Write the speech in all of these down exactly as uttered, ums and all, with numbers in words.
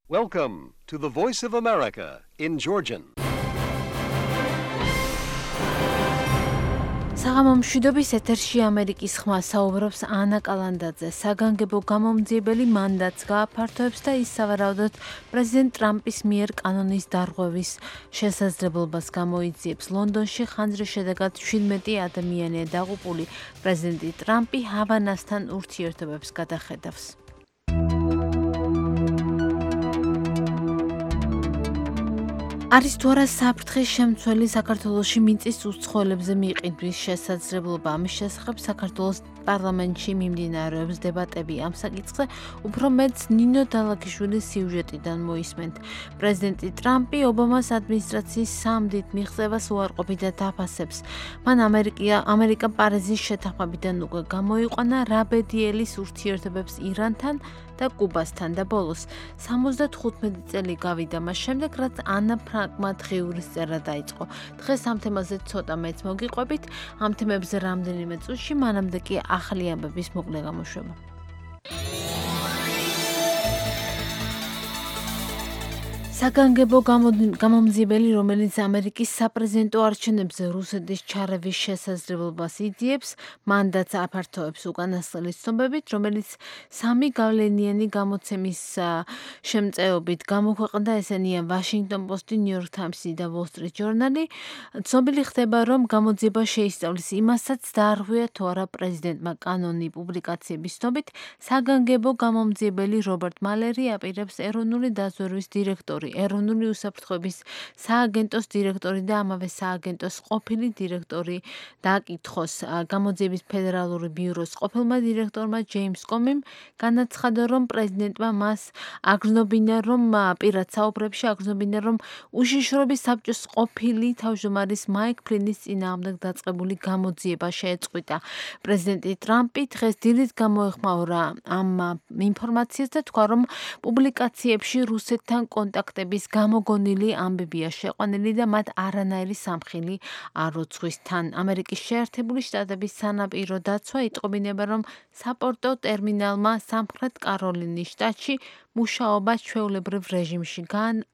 Welcome to the Voice of America in Georgian. საღამო მშვიდობის ეთერში ამერიკის ხმა საუბრობს ანა კალანდაძე. საგანგებო გამომძიებელი მანდატს გააფართოებს და ის სავარაუდოდ პრეზიდენტ ტრამპის მიერ კანონის დარღვევის შესაძლებლობას გამოიძიებს. ლონდონში ხანძრის შედეგად შვიდმეტი ადამიანია დაღუპული. პრეზიდენტი ტრამპი ჰავანასთან ურთიერთობებს გადახედავს. არის თუ არა საფრთხის შემცველი საქართველოში მიწის უცხოელებზე მიყიდვის შესაძლებლობა. ამის შესახებ საქართველოს პარლამენტში მიმდინარეობს დებატები ამ საკითხზე. უფრო მეტს ნინო დალაგიშვილის სიუჟეტიდან მოისმენთ. პრეზიდენტი ტრამპი ობამას ადმინისტრაციის სამდით მიღწევას უარყოფითად აფასებს. მან ამერიკა ამერიკა პარიზის შეთანხმებიდან უკვე გამოიყვანა რაბედიელის ურთიერთობებს ირანთან და კუბასთან და ბოლოს სამოცდათხუთმეტი წელი გავიდა მას შემდეგ, რაც ანა ფრანკმა დღიურის წერა დაიწყო. დღეს ამ თემაზე ცოტა მეც მოგიყვებით, ამ თემებზე რამდენიმე წუთში, მანამდე კი ახალი ამბების მოკლე გამოშვება. საგანგებო გამომძიებელი, რომელიც ამერიკის საპრეზიდენტო არჩევნებზე რუსეთის ჩარევის შესაძლებლობას იძიებს, მანდატს აფართოებს უკანასკნელი ცნობებით, რომელიც სამი გავლენიანი გამოცემის შემწეობით გამოქვეყნდა, ესენია Washington Post, New York Times და Wall Street Journal. ცნობილი ხდება, რომ გამოძიება შეისწავლის იმასაც, დაარღვია თუ არა პრეზიდენტმა კანონი. პუბლიკაციების ცნობით, საგანგებო გამომძიებელი რობერტ მალერი აპირებს ეროვნული დაზვერვის დირექტორი, ეროვნული უსაფრთხოების სააგენტოს დირექტორი და ამავე სააგენტოს ყოფილი დირექტორი დააკითხოს. გამოძიების ფედერალური ბიუროს ყოფილმა დირექტორმა ჯეიმს კომიმ განაცხადა, რომ პრეზიდენტმა მას აგრძნობინა, რომ პირად საუბრებში აგრძნობინა, რომ უშიშროების საბჭოს ყოფილი თავმჯდომარის მაიკ ფლინის წინააღმდეგ დაწყებული გამოძიება შეეწყვიტა. პრეზიდენტი ტრამპი დღეს დილით გამოეხმაურა ამ ინფორმაციას და თქვა, რომ პუბლიკაციებში რუსეთთან კონტაქტები გამოგონილი ამბებია შეყვანილი და მათ არანაირი სამხილი არ უძღვის თან. ამერიკის შეერთებული შტატების სანაპირო დაცვა იტყობინება, რომ საპორტო ტერმინალმა სამხრეთ კაროლინის შტატში მუშაობა ჩვეულებრივ რეჟიმში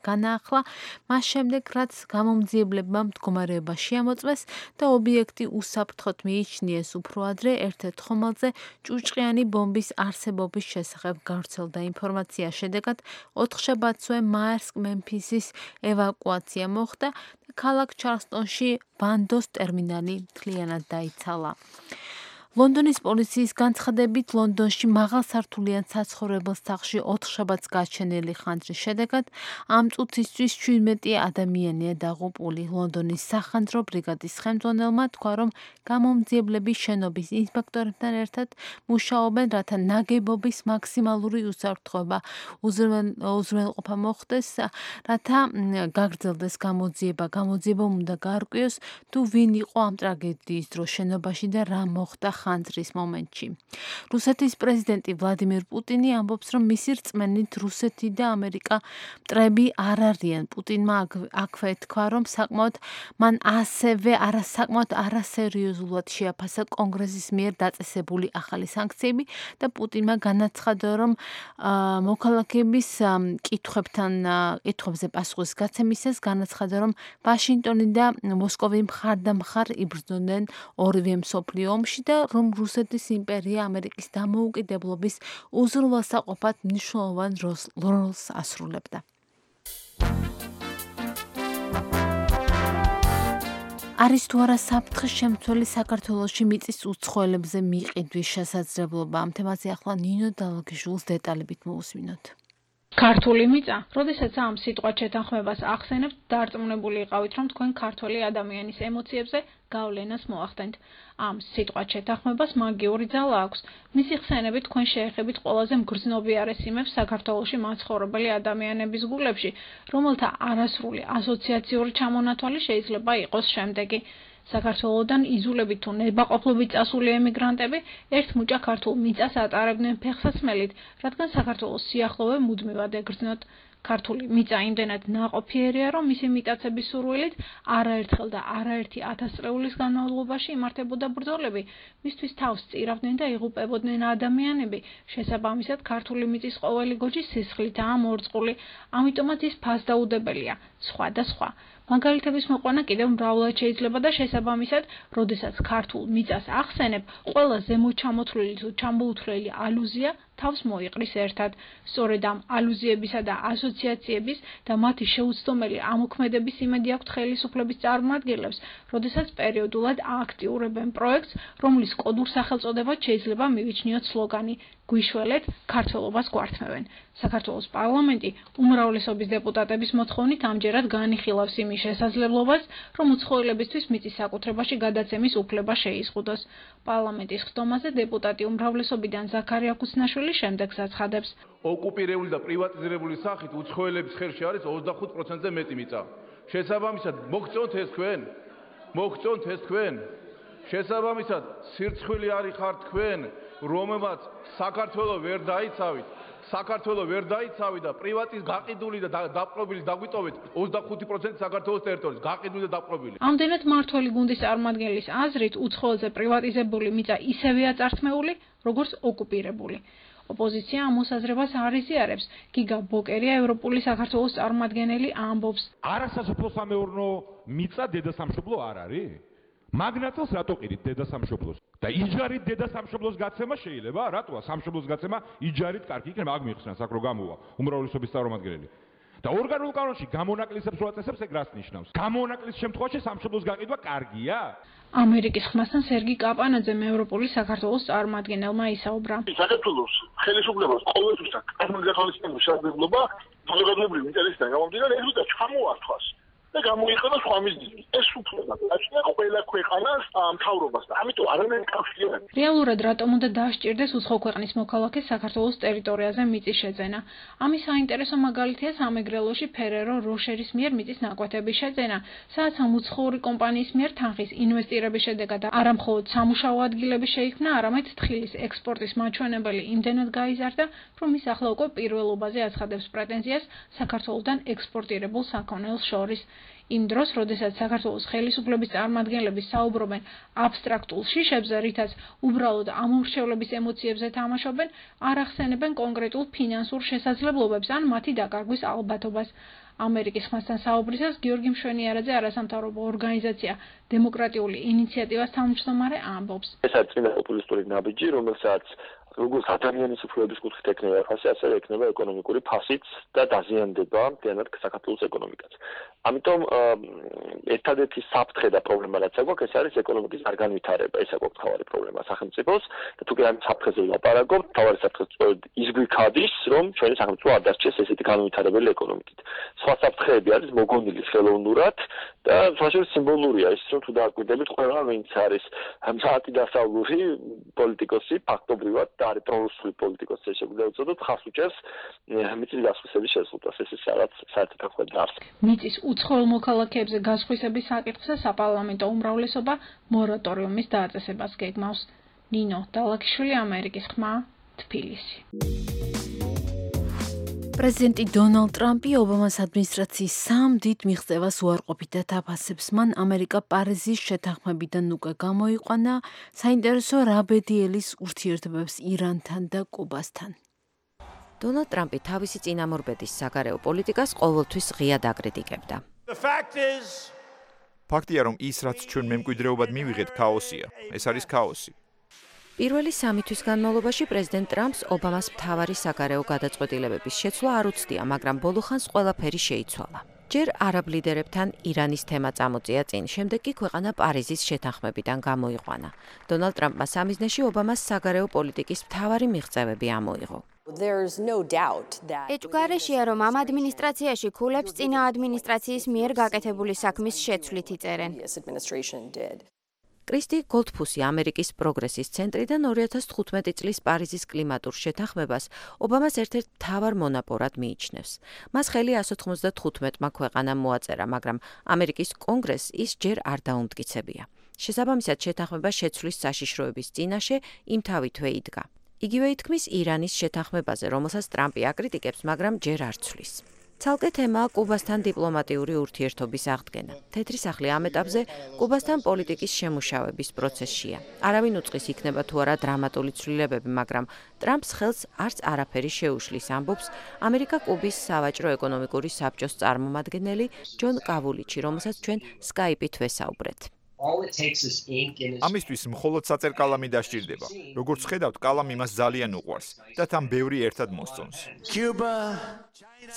განაახლა, მას შემდეგ, რაც გამომძიებლებმა მდგომარეობა შეამოწმეს და ობიექტი უსაფრთხოდ მიიჩნიეს. უფრო ადრე ერთ-ერთ ხომალდზე ჭუჭყიანი ბომბის არსებობის შესახებ გავრცელდა ინფორმაცია. შედეგად ოთხშაბათსვე მაერსკ-მემფისის ევაკუაცია მოხდა და ქალაქ ჩარლსტონში ბანდოს ტერმინალი მთლიანად დაიცალა. ლონდონის პოლიციის განცხადებით, ლონდონში მაღალსართულიან საცხოვრებელ სახლში ოთხშაბათს გაჩენილი ხანძრის შედეგად ამ წუთისთვის შვიდმეტი ადამიანია დაღუპული. ლონდონის სახანძრო ბრიგადის ხელმძღვანელმა თქვა, რომ გამომძიებლები შენობის ინსპექტორებთან ერთად მუშაობენ, რათა ნაგებობის მაქსიმალური უსაფრთხოება უზრუნველყოფა მოხდეს, რათა გაგრძელდეს გამოძიება. გამოძიება უნდა გაარკვიოს, თუ ვინ იყო ამ ტრაგედიის დროს შენობაში და რა მოხდა ხანძრის მომენტში. რუსეთის პრეზიდენტი ვლადიმირ პუტინი ამბობს, რომ მისი რწმენით რუსეთი და ამერიკა მტრები არ არიან. პუტინმა აქვე თქვა, რომ საკმაოდ მან ასევე არასაკმაოდ არასერიოზულად შეაფასა კონგრესის მიერ დაწესებული ახალი სანქციები და პუტინმა განაცხადა, რომ მოქალაქეების კითხვებთან კითხვებზე პასუხის გაცემისას განაცხადა, რომ ვაშინგტონი და მოსკოვი მხარდამხარ იბრძოდნენ ორივე მსოფლიო ომში და რომ რუსეთის იმპერია ამერიკის დამოუკიდებლობის უზრუნველსაყოფად მნიშვნელოვან როლს ასრულებდა. არის თუ არა საფრთხის შემცველი საქართველოში მიწის უცხოელებზე მიყიდვის შესაძლებლობა. ამ თემაზე ახლა ნინო დალაგიშვილის დეტალებით მოусმინოთ. ქართული მიწა, როდესაც ამ სიტყვას შეთანხმებას ახსენებთ, დარწმუნებული იყავით, რომ თქვენ ქართველი ადამიანის ემოციებზე გავლენას მოახდენთ. ამ სიტყვას შეთანხმებას მაგიური ძალა აქვს. მისი ხსენებით თქვენ შეეხებით ყველაზე მგრძნობიარე სიმებს საქართველოში მაცხოვრებელი ადამიანების გულებში, რომელთა არასრული ასოციაციური ჩამონათვალი შეიძლება იყოს შემდეგი. საქართველოდან იზოლებით თუ ნებაყოფლობით წასული ემიგრანტები ერთ მუჭა ქართულ მიწას ატარებდნენ ფეხსაცმელით, რადგან საქართველოს სიახლოვე მუდმივად ეგრძნოთ. ქართული მიწა იმდენად ნაყოფიერია, რომ მისი მიტაცების სურვილით არაერთხელ და არაერთი ათასწლეულის განმავლობაში იმართებოდა ბრძოლები, მისთვის თავს წირავდნენ და იღუპებოდნენ ადამიანები. შესაბამისად, ქართული მიწის ყოველი გოჯი სისხლითაა მორწყული, ამიტომაც ის ფასდაუდებელია. სხვა და სხვა. მაგალითების მოყვანა კიდევ მრავლად შეიძლება და შესაბამისად, როდესაც ქართულ მიწას ახსენებ, ყველა ზემოჩამოთვლილი თუ ჩამოუთვლელი ალუზია თავს მოიყრის ერთად. სწორედ ამ ალუზიებისა და ასოციაციების და მათი შეუცდომელი ამოქმედების იმედი აქვთ ხელისუფლების წარმომადგენლებს, როდესაც პერიოდულად აქტიურებენ პროექტს, რომლის კოდურ სახელწოდებად შეიძლება მივიჩნიოთ სლოგანი გვიშველეთ, ქართველობას გვართმევენ. საქართველოს პარლამენტი უმრავლესობის დეპუტატების მოთხოვნით ამჯერად განიხილავს იმის შესაძლებლობას, რომ უცხოელებისთვის მიწის საკუთრებაში გადაცემის უფლება შეიზღუდოს. პარლამენტის ხდომაზე დეპუტატი უმრავლესობიდან ზაქარია ქუსნაშვილი შემდეგს აცხადებს. ოკუპირებული და პრივატიზირებული სახით უცხოელების ხერში არის ოცდახუთ პროცენტზე მეტი მიწა. შესაბამისად, მოგწონთ ეს თქვენ? მოგწონთ ეს თქვენ? შესაბამისად, სირცხვილი არის ხარ თქვენ, რომელმაც საქართველოს ვერ დაიცავით. საქართველოს ვერ დაიცავით და პრივატიზ გაყიდული და დაპყრობილი დაგვიტოვეთ ოცდახუთი პროცენტი საქართველოს ტერიტორიის გაყიდული და დაპყრობილი. ამდენად მმართველი გუნდის წარმომადგენლის აზრით უცხოელზე პრივატიზებული მიწა ისევეა წართმეული, როგორც ოკუპირებული. ოპოზიცია ამ მოსაზრებას არ იზიარებს. გიგა ბოკერია ევროპული საქართველოს წარმომადგენელი ამბობს. არასასოფლო-სამეურნეო მიწა დედასამშობლო არ არის? მაგნატელს რატო ყიდით დედასამშობლოს? და იჯარით დედასამშობლოს გაცემა შეიძლება? რატოა სამშობლოს გაცემა იჯარით კარგი იქნება? აქ მიიხსნა საკრო გამოვა უმრავლესობის წარმომადგენელი. და ორგანულ კანონში გამონაკლისებს რო აწესებს, ეგ რას ნიშნავს? გამონაკლის შემთხვევაში სამშობლოს გაყიდვა კარგია? ამერიკის ხმასთან სერგი კაპანაძემ ევროპული საქართველოს წარმომადგენელმა ისაუბრა. საქართველოს ხელისუფლებას ყოველთვის აქვს კანონგახალისების შესაძლებლობა საზოგადოებრივი ინტერესიდან გამომდინარე ეს უნდა ჩამოართვას და გამოიყენოს სხვა მიზნით. ეს უფლება გააჩნია ყველა ქვეყანას მთავრობას და ამიტომ არანაირი კავშირი არ აქვს. რეალურად რატომ უნდა დაასჭირდეს უცხო ქვეყნის მოქალაქეს საქართველოს ტერიტორიაზე მიწის შეძენა? ამის საინტერესო მაგალითია სამეგრელოში ფერერო როშერის მიერ მიწის ნაკვეთების შეძენა, სადაც ამ უცხოური კომპანიის მიერ თანხის ინვესტირების შედეგად არა მხოლოდ სამუშაო ადგილები შეიქმნა, არამედ თხილის ექსპორტის მაჩვენებელი იმდენად გაიზარდა, რომ ის ახლა უკვე პირველობაზე აცხადებს პრეტენზიას საქართველოსთან ექსპორტირებულ საქონელს შორის. იმ დროს, როდესაც საქართველოს ხელისუფლების წარმომადგენლები საუბრობენ აბსტრაქტულ შიშებზე, რითაც უბრალოდ ამომრჩევლების ემოციებზე თამაშობენ, არ ახსენებენ კონკრეტულ ფინანსურ შესაძლებლობებს ან მათი დაკარგვის ალბათობას. ამერიკის ხმასთან საუბრისას გიორგი მშვენიარაძე არასამთავრობო ორგანიზაცია დემოკრატიული ინიციატივას თავმჯდომარე ამბობს. ეს არის წინა პოპულისტური ნაბიჯი, რომელსაც როგორც ადამიანის უფლებების კუთხით ექნება ფასი, ასევე ექნება ეკონომიკური ფასიც და დაზიანდება მთლიანად საქართველოს ეკონომიკაც. ამიტომ ერთადერთი საფრთხე და პრობლემა რაც აქვს, ეს არის ეკონომიკის არ განვითარება. ეს აქვს მთავარი პრობლემა სახელმწიფოს და თუ კი ამ საფრთხეზე ვლაპარაკობთ, მთავარი საფრთხე სწორედ ის გვიქადის, რომ ჩვენი სახელმწიფო არ დასჭეს ესეთი განვითარებელი ეკონომიკით. სხვა საფრთხეები არის მოგონილი ხელოვნურად და საერთოდ სიმბოლურია ის, რომ თუ დააკვირდებით, ყველა ვინც არის საათი დასავლური პოლიტიკოსი ფაქტობრივად და არის პრორუსული პოლიტიკოსი შეგვიძლია ვუწოდოთ, ხას უჭერს მიწის გასხვისების შეზღუდვას. ეს ის რაღაც საერთოდ ახლა დარს. მიწის უცხოელ მოქალაქეებზე გასხვისების საკითხზე საპარლამენტო უმრავლესობა მორატორიუმის დააწესებას გეგმავს. ნინო დალაკიშვილი, ამერიკის ხმა, თბილისი. პრეზიდენტი დონალდ ტრამპი ობამას ადმინისტრაციის სამ დიდ მიღწევას უარყოფით და თაფასებს. მან ამერიკა პარიზის შეთანხმებიდან უკვე გამოიყვანა, საინტერესო რაბედიელის ურთიერთობებს ირანთან და კუბასთან. დონალდ ტრამპი თავისი წინამორბედის საგარეო პოლიტიკას ყოველთვის ღიად აკრიტიკებდა. ფაქტია, რომ ის, რაც ჩვენ მემკვიდრეობად მივიღეთ, ქაოსია. ეს არის ქაოსი. პირველი სამი თვის განმავლობაში პრეზიდენტ ტრამპს ობამას მთავარი საგარეო გადაწყვეტილებების შეცვლა არ უცდია, მაგრამ ბოლოხანს ყველაფერი შეიცვალა. ჯერ არაბ ლიდერებთან ირანის თემა წამოწია წინ, შემდეგ კი ქვეყანა პარიზის შეთანხმებიდან გამოიყვანა. დონალდ ტრამპმა სამიზნეში ობამას საგარეო პოლიტიკის მთავარი მიღწევები ამოიღო. ეჭვგარეშეა, რომ ამ ადმინისტრაციაში ქულებს წინა ადმინისტრაციის მიერ გაკეთებული საქმის შეცვლით იწერენ. კრისტი გოლდფუსი ამერიკის პროგრესის ცენტრიდან ორი ათას თხუთმეტი წლის პარიზის კლიმატურ შეთანხმებას ობამას ერთ-ერთ მთავარ მონაპორად მიიჩნევს. მას ხელი εκατო ოცდათხუთმეტმა ქვეყანამ მოაწერა, მაგრამ ამერიკის კონგრესს ის ჯერ არ დაუმტკიცებია. შესაბამისად, შეთანხმება შეცვლის საშიშროების წინაშე იმთავითვე იდგა. იგივე ითქმის ირანის შეთანხმებაზე, რომელსაც ტრამპი აკრიტიკებს, მაგრამ ჯერ არ ცვლის. ცალკე თემაა კუბასთან დიპლომატიური ურთიერთობის აღდგენა. თეთრი სახლი ამ ეტაპზე კუბასთან პოლიტიკის შემუშავების პროცესშია. არავინ უწყის იქნება თუ არა დრამატული ცვლილებები, მაგრამ ტრამპს ხელს არც არაფერი შეუშლის, ამბობს ამერიკა კუბის სავაჭრო ეკონომიკური საბჭოს წარმომადგენელი ჯონ კავულიჩი, რომელსაც ჩვენ სკაიპით ვესაუბრეთ. ამისთვის მხოლოდ საწერ კალამი დასჭირდება. როგორც ხედავთ, კალამი მას ძალიან უყვარს და თან ბევრი ერთად მოსწონს.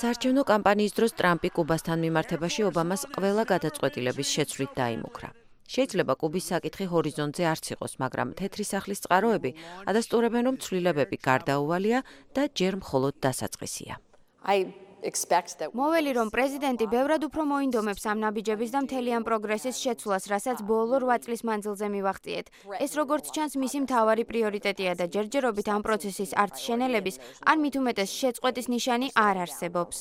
საარჩევნო კამპანიის დროს ტრამპი კუბასთან მიმართებაში ობამას ყველა გადაწყვეტილების შეცვლით დაიმუქრა. შეიძლება კუბის საკითხი ჰორიზონტზე არც იყოს, მაგრამ თეთრი სახლის წყაროები ადასტურებენ, რომ ცვლილებები გარდაუვალია და ჯერ მხოლოდ დასაწყისია. მოველი, რომ პრეზიდენტი ბევრად უფრო მოინდომებს ამ ნაბიჯების და მთელი ამ პროგრესის შეცვლას, რასაც ბოლო რვა წლის მანძილზე მივახციეთ. ეს როგორც ჩანს, მისი მთავარი პრიორიტეტია და ჯერჯერობით ამ პროცესის არც შენელების, ან მით უმეტეს შეწყვეტის ნიშანი არ არსებობს.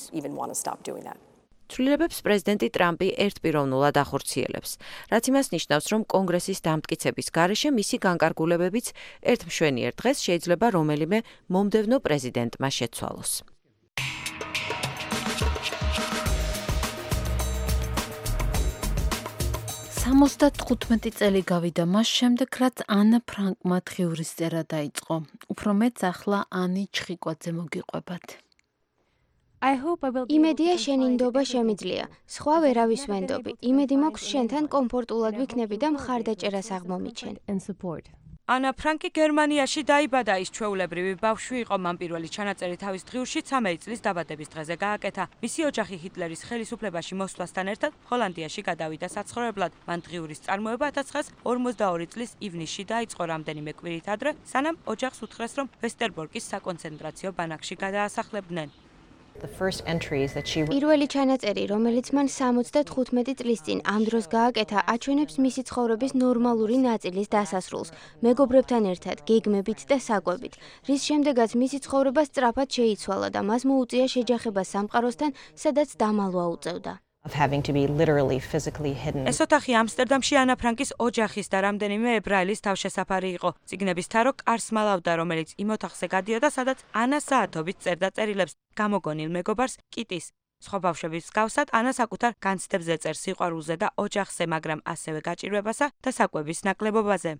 ცვლილებებს პრეზიდენტი ტრამპი ერთპიროვნულად ახორციელებს, რაც იმას ნიშნავს, რომ კონგრესის დამტკიცების გარეშე მისი განკარგულებებიც ერთ მშვენიერ დღეს შეიძლება რომელიმე მომდევნო პრეზიდენტმა შეცვალოს. სამოცდათხუთმეტი წელი გავიდა მას შემდეგ, რაც ანა ფრანკმა დღიურის წერა დაიწყო. უფრო მეც ახლა ანი ჩხიკვაძე მოგიყვებათ. იმედია შენი ნდობა შემიძლია. სხვა ვერავის ვენდობი. იმედი მაქვს შენთან კომფორტულად ვიქნები და მხარდაჭერას აღმომიჩენ. ანა ფრანკი გერმანიაში დაიბადა, ის ჩვეულებრივი ბავშვი იყო, მან პირველი ჩანაწერი თავის დღიურში ცამეტი წლის დაბადების დღეზე გააკეთა. მისი ოჯახი ჰიტლერის ხელისუფლებაში მოსვლასთან ერთად ჰოლანდიაში გადავიდა საცხოვრებლად. მან დღიურის წარმოება ათას ცხრაასა ორმოცდაორი წლის ივნისში დაიწყო, რამდენიმე კვირით ადრე, სანამ ოჯახს უთხრეს, რომ ვესტერბორკის საკონცენტრაციო ბანაკში გადაასახლებდნენ. პირველი ჩანაწერი, რომელიც მან სამოცდათხუთმეტი წლის წინ ამ დროს გააკეთა, აჩვენებს მისი ცხოვრების ნორმალური ნაწილის დასასრულს, მეგობრებთან ერთად, გეგმებით და საკვებით, რის შემდეგაც მისი ცხოვრება სწრაფად შეიცვალა და მას მოუწია შეჯახება სამყაროსთან, სადაც დამალვა უწევდა. ეს ოთახი ამსტერდამში ანა ფრანკის ოჯახის და რამდენიმე ებრაელის თავშესაფარი იყო. წიგნების თარო კარს მალავდა, რომელიც იმ ოთახზე გადიოდა, სადაც ანა საათობით წერდა წერილებს გამოგონილ მეგობარს კიტის. სხვა ბავშვების მსგავსად, ანა საკუთარ განცდებზე წერს სიყვარულზე და ოჯახზე, მაგრამ ასევე გაჭირვებასა და საკვების ნაკლებობაზე.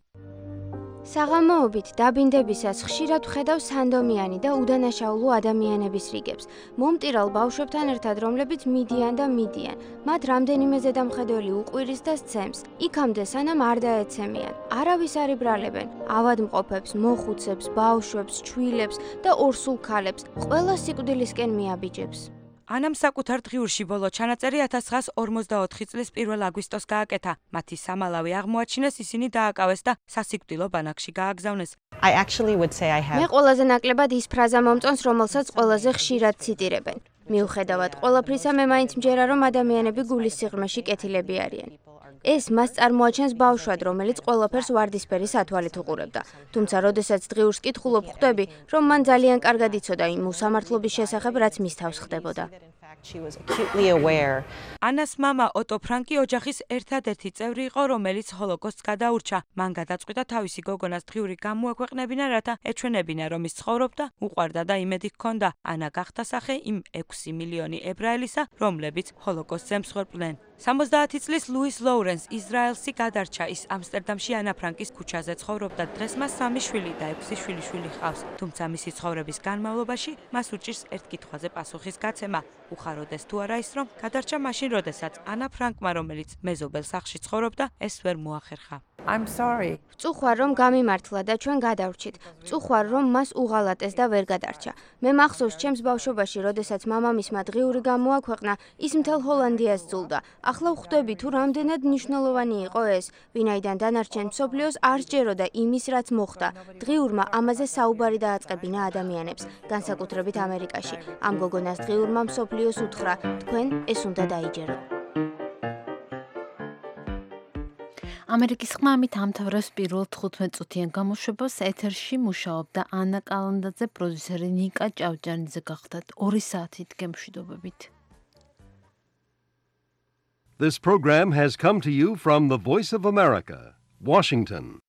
საღამოობით დაბინდებისას ხშირად ვხედავ სანდომიანი და უდანაშაულო ადამიანების რიგებს. მომტირალ ბავშვებთან ერთად, რომლებიც მიდიან და მიდიან. მათ რამდენიმე ზედამხედველი უყვირის და სცემს. იქამდე სანამ არ დაეცემიან. არავის არ იბრალებენ. ავადმყოფებს, მოხუცებს, ბავშვებს, ჩვილებს და ორსულ ქალებს. ყველა სიკვდილისკენ მიაბიჯებს. ანამ საკუთარ დღიურში ბოლო ჩანაწერი ათას ცხრაასა ორმოცდაოთხი წლის პირველ აგვისტოს გააკეთა. მათი სამალავი აღმოაჩინეს, ისინი დააკავეს და სასიკვდილო ბანაკში გააგზავნეს. მე ყველაზე ნაკლებად ის ფრაზა მომწონს, რომელსაც ყველაზე ხშირად ციტირებენ. მიუხედავად ყველაფრისა, მე მაინც მჯერა, რომ ადამიანები გულის სიღრმეში კეთილები არიან. ეს მას წარმოაჩენს ბავშვად, რომელიც ყველაფერს ვარდისფერი სათვალით უყურებდა. თუმცა, როდესაც დღიურს კითხულობ, ხვდები, რომ მან ძალიან კარგად იცოდა იმ უსამართლობის შესახებ, რაც მის თავს ხდებოდა. ანას მამა ოტო ფრანკი ოჯახის ერთადერთი წევრი იყო, რომელიც ჰოლოკოსტს გადაურჩა. მან გადაწყვიტა თავისი გოგონას დღიური გამოექვეყნებინა, რათა ეჩვენებინა, რომ ის ცხოვრობდა, უყვარდა და იმედი ჰქონდა. ანა გახდა სახე იმ ექვსი მილიონი ებრაელისა, რომლებიც ჰოლოკოსტზე მსხვერპლნენ. სამოცდაათი წლის ლუის ლოურენს ისრაელსი გადარჩა. ის ამსტერდამში ანა ფრანკის ქუჩაზე ცხოვრობდა. დღეს მას სამი შვილი და ექვსი შვილიშვილი ჰყავს. თუმცა მისი ცხოვრების განმავლობაში მას უჭირს ერთ კითხვაზე პასუხის გაცემა. უხაროდეს თუ არა ის, რომ გადარჩა მაშინ, როდესაც ანა ფრანკმა, რომელიც მეზობელ სახლში ცხოვრობდა, ეს ვერ მოახერხა. ვწუხარ, რომ გამიმართლა და ჩვენ გადავრჩით. ვწუხარ, რომ მას უღალატეს და ვერ გადარჩა. მე მახსოვს ჩემს ბავშვობაში, როდესაც მამამისმა დღიური გამოაქვეყნა, ის მთელ ჰოლანდიას ძულდა. ახლა ვხვდები თუ რამდენად მნიშვნელოვანი იყო ეს, ვინაიდან დანარჩენ მსოფლიოს არ სჯეროდა იმის, რაც მოხდა. დღიურმა ამაზე საუბარი დააწყებინა ადამიანებს, განსაკუთრებით ამერიკაში. ამ გოგონას დღიურმა მსოფლიოს უთხრა, თქვენ ეს უნდა დაიჯეროთ. ამერიკის ხმა ამით ამთავრებს პირველ თხუთმეტ წუთიან გამოშვებას. ეთერში მუშაობდა ანა კალანდაძე, პროდიუსერი ნიკა ჭავჭანიძე. გახდათ ორი საათით გემშვიდობებით. This program has come to you from the Voice of America, Washington.